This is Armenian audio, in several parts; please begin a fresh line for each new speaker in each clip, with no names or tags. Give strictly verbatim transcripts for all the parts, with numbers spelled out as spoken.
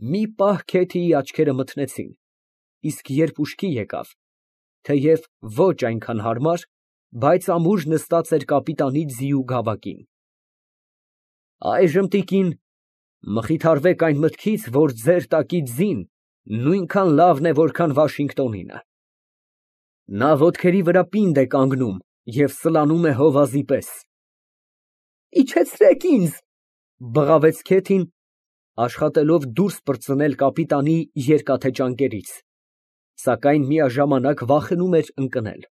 Մի պահ Քեթիի աչքերը մթնեցին, իսկ երբ ուշքի եկավ, թեև ոչ այնքան հարմար, բայց ամուր նստած էր կապիտանի ձիու գավակին։ Այժմ, տիկին, մխիթարվեք այն մտքից, որ ձեր տակից ձին նույնքան լավն է, որքան Վաշինգտոնինը։ Նա ոտքերի վրա պինդ է կանգնում և սլանում է հովազի պես։ Իջեցրեք ինձ, բղավեց Քեթին, աշխատելով դուրս պրծնել կապիտանի երկաթե ճանկերից, սակայն միաժամանակ վախենում էր ընկնել։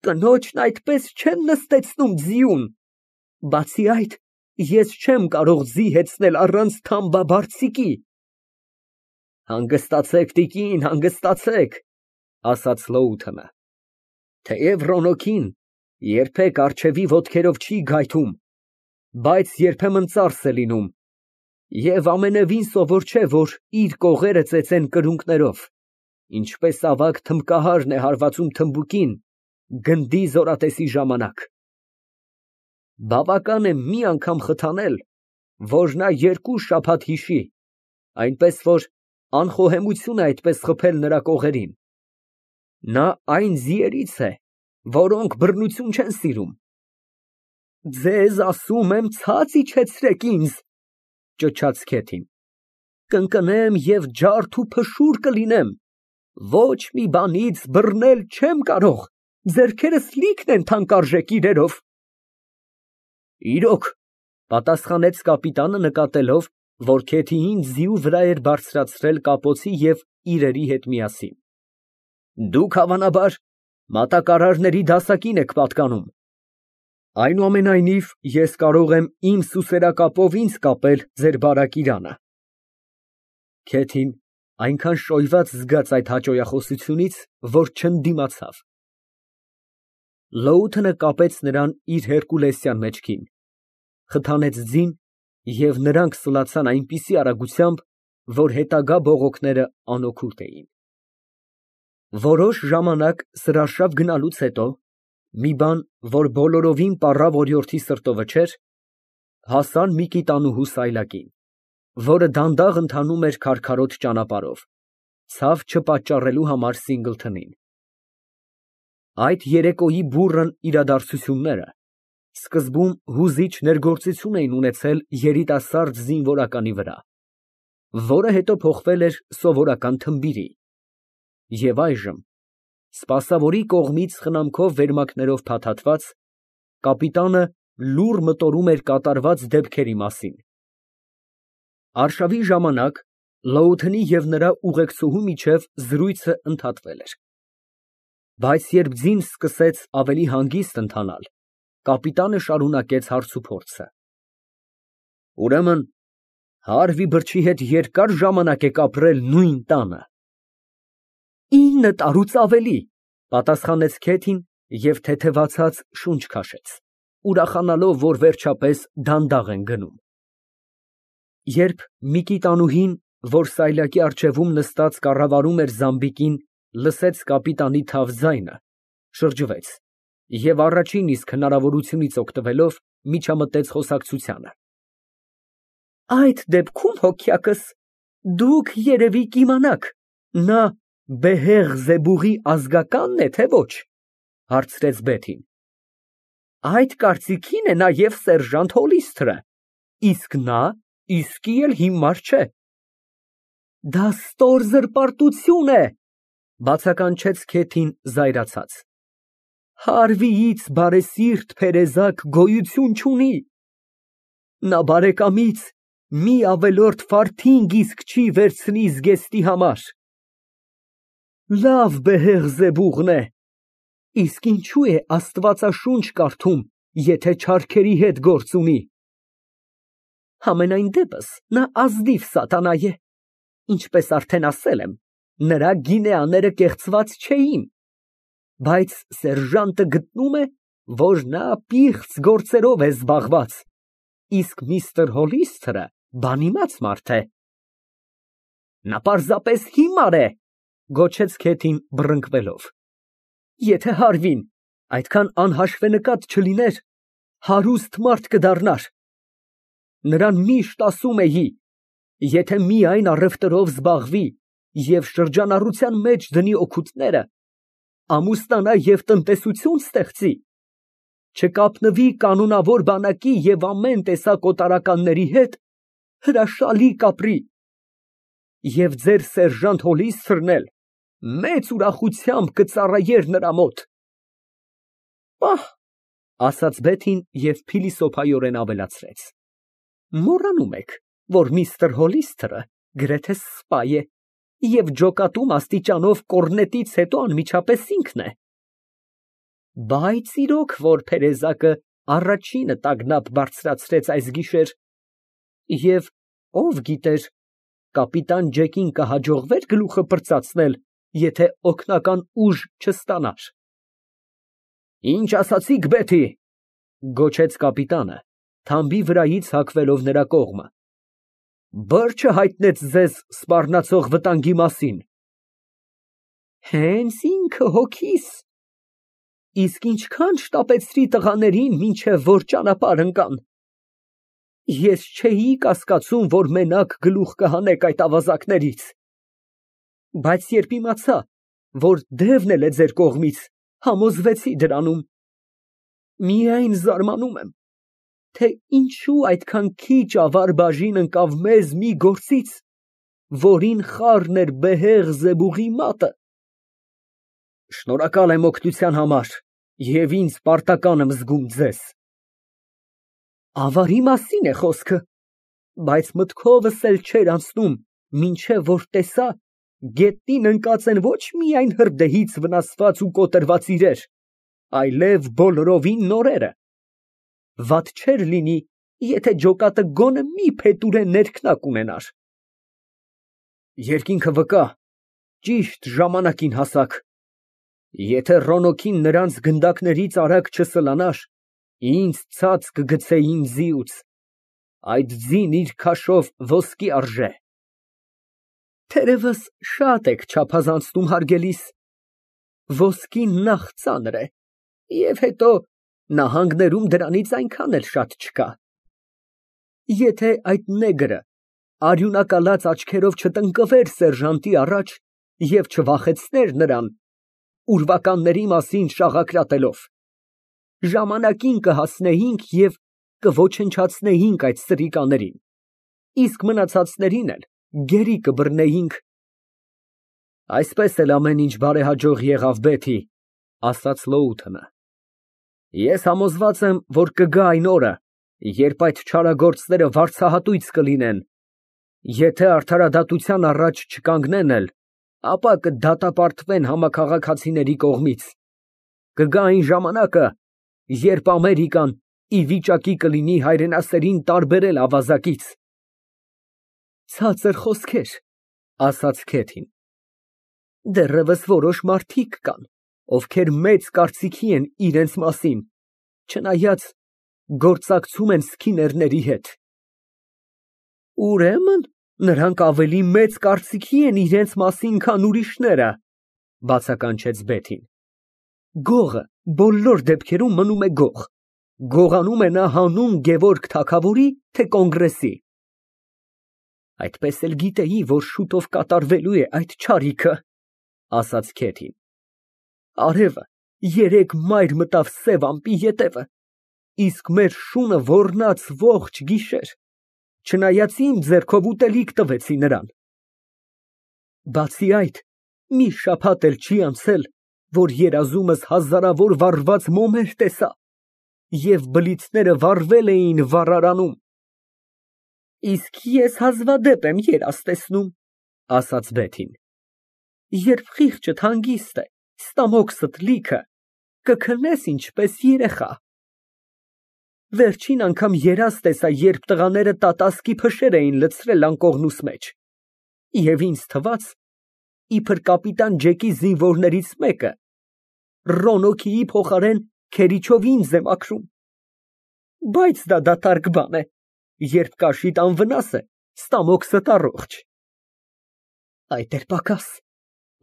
Կնոջն այդպես չեն նստեցնում ձիուն, բացի այդ, ես չեմ կարող ձի հեծնել առանց թամբաբարձիկի։ Հանգստացեք, տիկին, հանգստացեք, ասաց Լոութենը, թեև Ռոնոքին երբեք առջևի ոտքերով չի գայթում, բայց երբեմն ծարս է լինում, և ամենևին սովոր չէ, որ իր կողերը ծեծեն կրունկներով, ինչպես ավագ թմբկահարն է հարվածում թմբուկին գնդի զորատեսի ժամանակ։ Բավական է մի անգամ խթանել, որ նա երկու շաբաթ հիշի, այնպես որ անխոհեմություն է այդպես խփել նրա կողերին։ Նա այն ձիերից է, որոնք բռնություն չեն սիրում։ Ձեզ ասում եմ, ցած իջեցրեք ինձ, ճչաց Քեթին, կընկնեմ և ջարդ ու փշուր կլինեմ, ոչ մի բանից բռնել չեմ կարող, ձեռքերս լիքն են թանկարժեք իրերով։ Իրոք, պատասխանեց կապիտանը, նկատելով, որ Քեթիին ձիու վրա էր բարձրացրել կապոցի և իրերի հետ միասին։ Դուք, հավանաբար, մատակարարների դասակին եք պատկանում։ Այնուամենայնիվ, ես կարող եմ իմ սուսերակապով ինձ կապել ձեր բարակ իրանը։ Քեթին այնքան շոյված զգաց այդ հաճոյախոսությունից, որ չընդդիմացավ։ Լոութենը կապեց նրան իր հերկուլեսյան մեջքին, խթանեց ձին, և նրանք սլացան այնպիսի արագությամբ, որ հետագա բողոքները անօգուտ էին։ Որոշ ժամանակ սրարշավ գնալուց հետո, մի բան, որ բոլորովին պառավ օրիորդի սրտովը չէր, հասան Միկիտանուհու սայլակին, որը դանդաղ ընթանում էր քարքարոտ ճանապարհով, ցավ չպատճառելու համար Սինգլթոնին։ Այդ երեկոյի բուռն իրադարձությունները սկզբում հուզիչ ներգործություն էին ունեցել երիտասարդ զինվորականի վրա, որը հետո փոխվել էր սովորական թմբիրի, և այժմ, սպասավորի կողմից խնամքով վերմակներով փաթաթված, կապիտանը լուռ մտորում էր կատարված դեպքերի մասին։ Արշավի ժամանակ Լոութենի և նրա ուղեկցուհու միջև զրույցը ընդհատվել էր, բայց երբ ձին սկսեց ավելի հանգիստ ընթանալ, կապիտանը շարունակեց հարցուփորձը։ Ուրեմն Հարվի բրջի հետ երկար ժամանակ եք ապրել նույն տանը։ Ինը տարուց ավելի, պատասխանեց Քեթին և թեթևացած շունչ քաշեց, ուրախանալով, որ վերջապես դանդաղ են գնում։ Երբ Միկիտանուհին, որ սայլակի առջևում նստած կառավարում էր զամբիկին, լսեց կապիտանի թավ ձայնը, շրջվեց և առաջին իսկ հնարավորությունից օգտվելով միջամտեց խոսակցությանը։ Այդ դեպքում, հոգյակս, դուք երևի կիմանաք, նա Բեհեղզեբուղի ազգակա՞նն է, թե ոչ, հարցրեց Բեթին։ Այդ կարծիքին է նաև սերժանտ Հոլիսթը, իսկ նա իսկի էլ հիմար չէ։ Դա ստոր զրպարտություն է, բացականչեց Քեթին զայրացած։ Հարվիից բարեսիրտ փերեզակ գոյություն չունի։ Նա բարեկամից մի ավելորդ ֆարթինգ իսկ չի վերցնի զգեստի համար։ Լավ Բեհեղզեբուղն է, իսկ ինչու է աստվածաշունչ կարդում, եթե չարքերի հետ գործ ունի։ Համենայն դեպս նա ազնիվ սատանա է, ինչպես արդեն ասել եմ, նրա գինեաները կեղծված չէին, բայց սերժանտը գտնում է, որ նա պիղծ գործերով է զբաղված, իսկ միստր Հոլիսթը բանիմաց մարդ է։ Նա պարզապես հիմար է, գոչեց Քեթին բռնկվելով։ Եթե Հարվին այդքան անհաշվենկատ չլիներ, հարուստ մարդ կդառնար։ Նրան միշտ ասում էի, Եթե միայն առևտրով զբաղվի և շրջանառության մեջ դնի օգուտները, ամուսնանա և տնտեսություն ստեղծի, չկապնվի կանոնավոր բանակի և ամեն տեսակ օտարականների հետ, հրաշալի կապրի, և ձեր սերժանտ Հոլիստրն էլ մեծ ուրախությամբ կծառայեր նրա մոտ։ Պահ, ասաց Բեթին և փիլիսոփայորեն ավելացրեց. Մոռանում եք, որ միստր Հոլիսթըրը գրեթե սպա է և ջոկատում աստիճանով կոռնետից հետո անմիջապես ինքն է։ Բայց իրոք որ փերեզակը առաջինը տագնապ բարձրացրեց այս գիշեր, և ով գիտեր, կապիտան Ջեկին կհաջողվե՞ր գլուխը պրծացնել, եթե օգնական ուժ չստանար։ Ինչ ասացիք, Բեթի, գոչեց կապիտանը, թամբի վրայից հագվելով նրա կողմը, բրջը հայտնեց ձեզ սպառնացող վտանգի մասին։ Հենց ինքը հոգիս, իսկ ինչքան շտապեցրի տղաներին, մինչև որ ճանապարհ ընկան։ Ես չէի կասկածում, որ մենակ գլուխ կհանեք այդ ավազակներից, բայց երբ իմացա, որ դևն էլ է ձեր կողմից, համոզվեցի դրանում։ Միայն զարմանում եմ, թե ինչու այդքան քիչ ավար բաժին ընկավ մեզ մի գործից, որին խառն էր բեհեղ զեբուղի մատը։ Շնորհակալ եմ օգնության համար և ինձ պարտական եմ զգում ձեզ։ Ավարի մասին է խոսքը, բայց մտքովս էլ չէր անցնում, մինչև որ տեսա գետնին ընկած են ոչ միայն հրդեհից վնասված ու կոտրված իրեր, այլև բոլորովին նորերը։ Վատ չէր լինի, եթե ջոկատը գոնե մի փետուրե ներքնակ ունենար։ Երկինքը վկա, ճիշտ ժամանակին հասաք։ Եթե Ռոնոքին նրանց գնդակներից արագ չսլանար, ինձ ցած կգցեին ձիուց, այդ ձին իր քաշով ոսկի արժե։ Թերևս շատ եք չափազանցնում, հարգելիս, ոսկին նախ ծանր է, և հետո նահանգներում դրանից այնքան էլ շատ չկա։ Եթե այդ նեգրը արյունակալած աչքերով չտնկվեր սերժանտի առաջ և չվախեցներ նրան, ուրվականների մասին շաղակրատելով, ժամանակին կհասնեինք և կոչնչացնեինք այդ սրիկաներին, իսկ մնացածներին էլ գերի կբռնեինք։ Այսպես էլ ամեն ինչ բարեհաջող եղավ, Բեթի, ասաց Լոութընը։ Ես համոզված եմ, որ կգա այն օրը, երբ այդ չարագործները վարձահատույց կլինեն, եթե արդարադատության առաջ չկանգնեն էլ, ապա կդատապարտվեն համաքաղաքացիների կողմից։ Կգա այն ժամանակը, երբ Ամերիկան ի վիճակի կլինի հայրենասերին տարբերել ավազակից։ Ցածր խոսքեր, ասաց Քեթին, դեռևս որոշ մարդիկ կան, ովքեր մեծ կարծիքի են իրենց մասին, չնայած գործակցում են սքիներների հետ։ Ուրեմն նրանք ավելի մեծ կարծիքի են իրենց մասին, քան ուրիշները, բացականչեց Բեթին։ Գողը բոլոր դեպքերում մնում է գող, գողանում է նա հանուն Գևորգ թագավորի, թե կոնգրեսի։ Այդպես էլ գիտեի, որ շուտով կատարվելու է այդ չարիքը, ասաց Քեթին։ Արևը երեկ մայր մտավ սև ամպի ետևը, իսկ մեր շունը ոռնաց ողջ գիշեր, չնայած իմ ձեռքով ուտելիք տվեցի նրան։ Բացի այդ, մի շաբաթ էլ չի անցել, որ երազումս հազարավոր վառված մոմեր տեսա, և բլիթները վառվել էին վառարանում։ Իսկ ես հազվադեպ եմ երազ տեսնում, ասաց Բեթին, երբ խիղճդ հանգիստ է, ստամոքսդ լիքը, կքնես ինչպես երեխա։ Վերջին անգամ երազ տեսա, երբ տղաները տատասկի փշեր էին լցրել անկողնուս մեջ, և ինձ թվաց, իբր կապիտան Ջեկի զինվորներից մեկը Ռոնոքիի փոխարեն քերիչով ինձ է մաքրում։ Բայց դա դատարկ բան է, երբ կաշիդ անվնաս է, ստամոքսդ առողջ։ Այդ էր պակաս,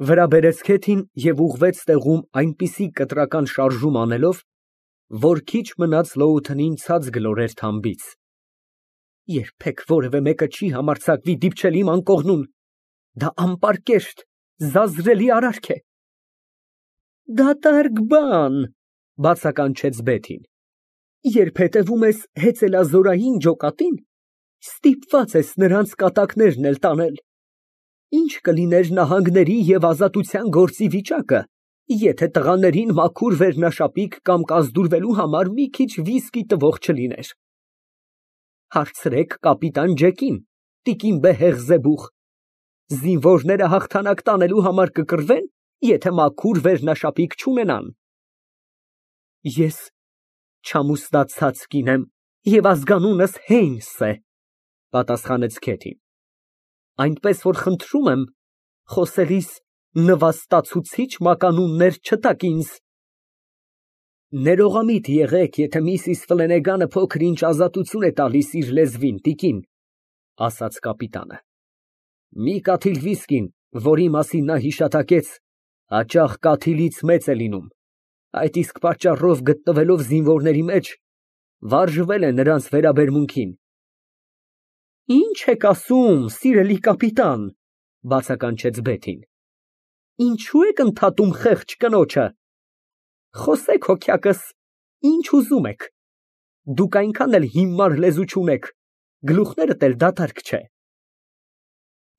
վրա բերեց Քեթին և ուղղվեց տեղում այնպիսի կտրական շարժում անելով, որ քիչ մնաց Լոութընին ցած գլորեր թամբից։ Երբեք որևէ մեկը չի համարձակվի դիպչել իմ անկողնուն, դա անպարկեշտ, զազրելի արարք է։ Դատարկ բան, բացականչեց Բեթին, երբ հետևում ես հեծելազորային ջոկատին, ստիպված ես նրանց կատակներն էլ տանել։ Ինչ կլիներ նահանգների և ազատության գործի վիճակը, եթե տղաներին մաքուր վերնաշապիկ կամ կազդուրվելու համար մի քիչ վիսկի տվող չլիներ։ Հարցրեք կապիտան Ջեկին, տիկին Բեհեղզեբուխ, զինվորները հաղթանակ տանելու համար կկռվեն, եթե մաքուր վերնաշապիկ չունենան։ Ես չամուսնացած կին եմ և ազգանունս Հեյնս է, պատասխանեց Քեթին, այնպես որ խնդրում եմ, խոսելիս նվաստացուցիչ մականուններ չտաք ինձ։ Ներողամիտ եղեք, եթե միսիս Ֆլենեգանը փոքր-ինչ ազատություն է տալիս իր լեզվին, տիկին, ասաց կապիտանը։ Մի կաթիլ վիսկին, որի մասին նա հիշատակեց, հաճախ կաթիլից մեծ է լինում, այդ իսկ պատճառով գտնվելով զինվորների մեջ, վարժվել է նրանց վերաբերմունքին։ Ինչ եք ասում, սիրելի կապիտան, բացականչեց Բեթին, ինչու եք ընդհատում խեղճ կնոջը։ Խոսեք հոգյակս, ինչ ուզում եք, դուք այնքան էլ հիմար լեզու չունեք, գլուխներդ էլ դատարկ չէ։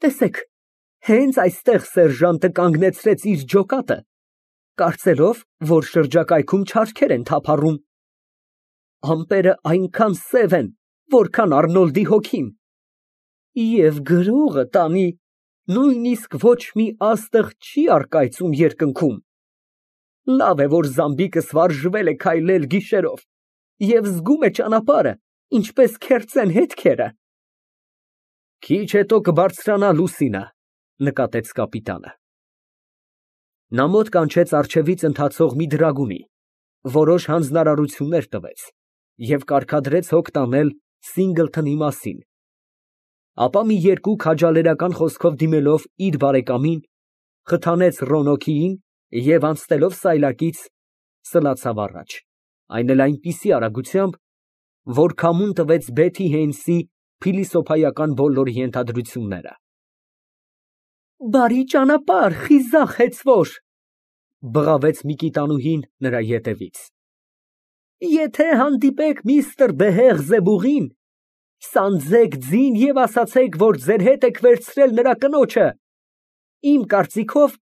Տեսեք, հենց այստեղ սերժանտը կանգնեցրեց իր ջոկատը, կարծելով, որ շրջակայքում չարքեր են թափառում։ Ամպերը այնքան սև են, որքան Արնոլդի հոգին, և գրողը տանի, նույնիսկ ոչ մի աստղ չի առկայծում երկնքում։ Լավ է, որ Զամբիկս վարժվել է քայլել գիշերով և զգում է ճանապարհը, ինչպես քերծեն հետքերը։ Քիչ հետո կբարձրանա լուսինը, նկատեց կապիտանը։ Նա մոտ կանչեց առջևից ընթացող մի դրագունի, որոշ հանձնարարություններ տվեց և կարգադրեց հոգ տանել Սինգլթոնի մասին, ապա մի երկու քաջալերական խոսքով դիմելով իր բարեկամին, խթանեց Ռոնոքիին և անցնելով սայլակից, սլացավ առաջ, այն էլ այնպիսի արագությամբ, որ քամուն տվեց Բեթի Հեյնսի փիլիսոփայական բոլոր ենթադրությունները։ Բարի ճանապարհ, խիզախ հեծվոր, բղավեց Միկիտանուհին նրա ետևից։ Եթե հանդիպեք միստր Բեհեղզեբուղին, սանձեք ձին և ասացեք, որ ձեր հետ եք վերցրել նրա կնոջը։ Իմ կարծիքով,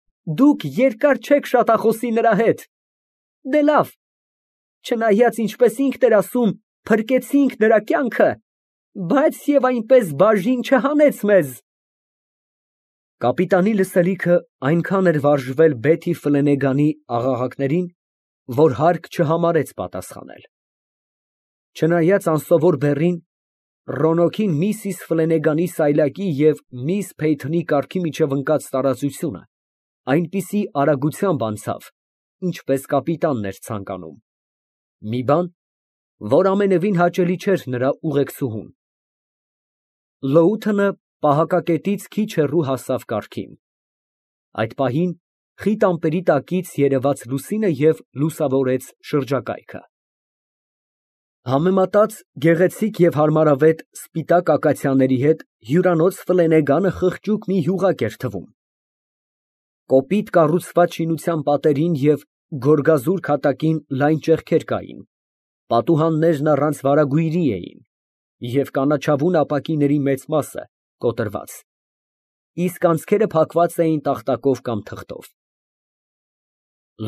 դուք երկար չեք շատախոսի նրա հետ։ Դե լավ, չնայած ինչպես ինքն էր ասում, փրկեցինք նրա կյանքը, բայց և այնպես բաժին չհանեց մեզ։ Կապիտանի լսելիքը այնքան էր վարժվել Բեթի Ֆլենեգանի աղաղակներին, որ հարկ չհամարեց պատասխանել։ Չնայած անսովոր բեռին, Ռոնոքին միսիս Ֆլենեգանի սայլակի և միս Փեյթոնի կառքի միջև ընկած տարածությունը այնպիսի արագությամբ անցավ, ինչպես կապիտանն էր ցանկանում, մի բան, որ ամենևին հաճելի չէր նրա ուղեկցուհուն։ Լոութընը պահակակետից քիչ հեռու հասավ կառքին։ Այդ պահին խիտ ամպերի տակից երևաց լուսինը և լուսավորեց շրջակայքը։ Համեմատած գեղեցիկ և հարմարավետ սպիտակ ակացիաների հետ հյուրանոց Ֆլենեգանը խղճուկ մի յուղակ էր թվում։ Կոպիտ կառուցված շինության պատերին և գորգազուրկ հատակին լայն ճեղքեր կային, պատուհաններն առանց վարագույրի էին և կանաչավուն ապակիների մեծ մասը կոտրված, իսկ անցքերը փակված էին տախտակով կամ թղթով։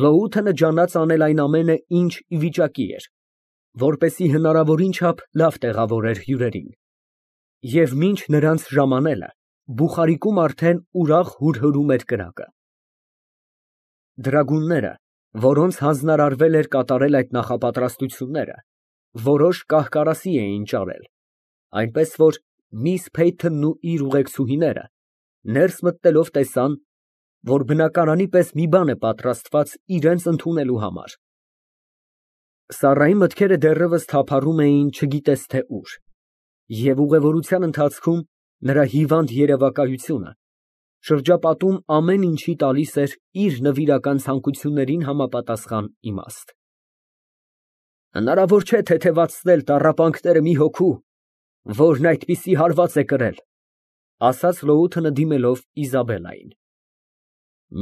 Լոութը ջանաց անել այն ամենը, ինչ ի վիճակի էր, որպեսզի հնարավորին չափ լավ տեղավորեր հյուրերին, և մինչ նրանց ժամանելը, բուխարիկում արդեն ուրախ հուրհրում էր կրակը։ Դրագունները, որոնց հանձնարարվել էր կատարել այդ նախապատրաստությունները, որոշ կահ֊կարասի էին ճարել, այնպես որ միս Փեյթոնն ու իր ուղեկցուհիները ներս մտնելով տեսան, որ բնակարանի պես մի բան է պատրաստված իրենց ընդունելու համար։ Սառայի մտքերը դեռևս թափառում էին չգիտես թե ուր, և ուղևորության ընթացքում նրա հիվանդ երևակայությունը շրջապատում ամեն ինչի տալիս էր իր նվիրական ցանկություններին համապատասխան իմաստ։ Հնարավոր չէ թեթևացնել տառապանքները մի հոգու, Որն այդպիսի հարված է կրել, ասաց լոութը դիմելով Իզաբելլային։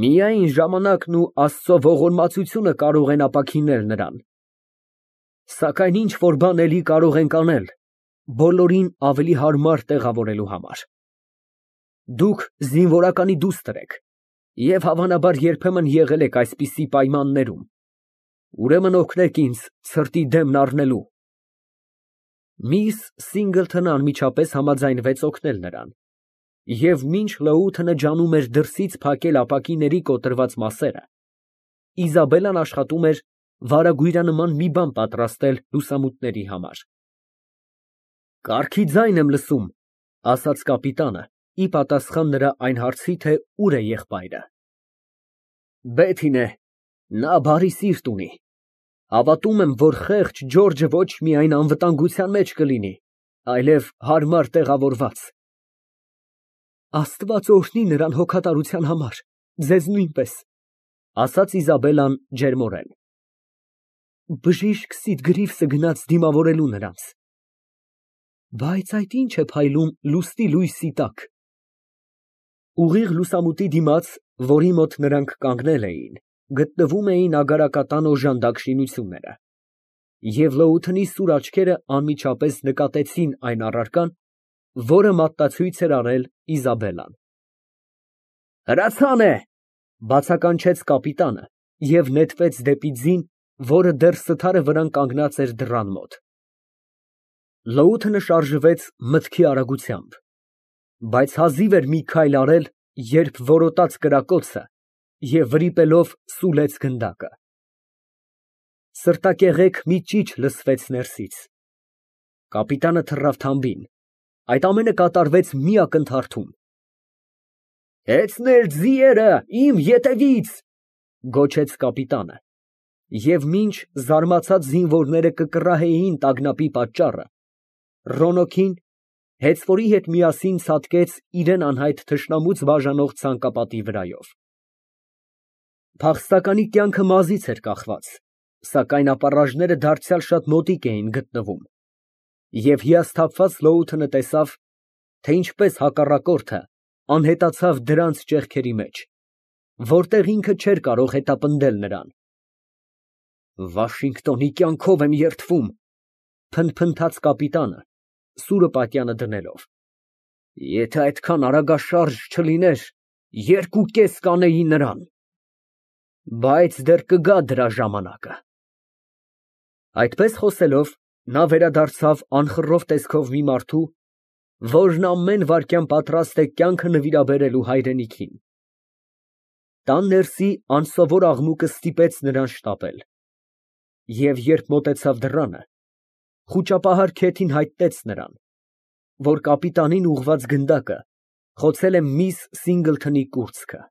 Միայն ժամանակն ու Աստծո ողորմածությունը կարող են ապաքինել նրան, սակայն ինչ որ բան էլի կարող ենք անել բոլորին ավելի հարմար տեղավորելու համար։ Դուք զինվորականի դուստր եք և հավանաբար երբեմն եղել եք այսպիսի պայմաններում, ուրեմն օգնեք ինձ ցրտի դեմն առնելու։ Միս Սինգլթոնը անմիջապես համաձայնվեց օգնել նրան, և մինչ լոութը ջանում էր դրսից փակել ապակիների կոտրված մասերը, Իզաբելլան աշխատում էր վարագույրանման մի բան պատրաստել լուսամուտների համար։ Կառքի ձայն եմ լսում, ասաց կապիտանը, ի պատասխան նրա այն հարցի, թե ուր է եղբայրը։ Բեթին է, նա բարի սիրտ ունի, հավատում եմ, որ խեղճ Ջորջը ոչ միայն անվտանգության մեջ կլինի, այլև հարմար տեղավորված։ Աստված օրհնի նրան հոգատարության համար, ձեզ նույնպես, ասաց Իզաբելլան ջերմորեն։ Բժիշկ Սիդգրիվսը գնաց դիմավորելու նրանց։ Բայց այդ ի՞նչ է փայլում լուսնի լույսի տակ։ Ուղիղ լուսամուտի դիմաց, որի մոտ նրանք կանգնել էին, գտնվում էին ագարակատան օժանդակ շինությունները, և լոութնի սուր աչքերը անմիջապես նկատեցին այն առարկան, որը մատնացույց էր արել Իզաբելլան։ Հրացան է, բացականչեց կապիտանը և նետվեց դեպի ձին, որը դեռ սթարը վրան կանգնած էր դռան մոտ։ Լոութը շարժվեց մտքի արագությամբ, բայց հազիվ էր մի քայլ արել, երբ որոտաց կրակոցը և վրիպելով սուլեց գնդակը։ Սրտակեղեք մի ճիչ լսվեց ներսից։ Կապիտանը թռավ թամբին, այդ ամենը կատարվեց մի ակնթարթում։ Հեծներ ձիերը իմ ետևից, գոչեց կապիտանը, և մինչ զարմացած զինվորները կկռահեին տագնապի պատճառը, Ռոնոքին, հեծվորի հետ միասին ցատկեց իրան անհայտ թշնամուց բաժանող ցանկապատի վրայով։ Փախստականի կյանքը մազից էր կախված, սակայն ապառաժները դարձյալ շատ մոտիկ էին գտնվում, և հիասթափված լոութը տեսավ, թե ինչպես հակառակորդը անհետացավ դրանց ճեղքերի մեջ, որտեղ ինքը չէր կարող հետապնդել նրան։ Վաշինգտոնի կյանքով եմ երդվում, փնթփնթաց կապիտանը, սուրը պատյանը դնելով։ Եթե այդքան արագաշարժ չլիներ, երկու կես կանեի նրան։ Բայց դեռ կգա դրա ժամանակը։ Այդպես խոսելով, նա վերադարձավ անխռով տեսքով մի մարդու, որն ամեն վայրկյան պատրաստ է կյանքը նվիրաբերելու հայրենիքին։ Տան ներսի անսովոր աղմուկը ստիպեց նրան շտապել, և երբ մոտեցավ դռանը, խուճապահար քեթին հայտնեց նրան, որ կապիտանին ուղղված գնդակը խոցել է միս Սինգլթոնի կուրծքը։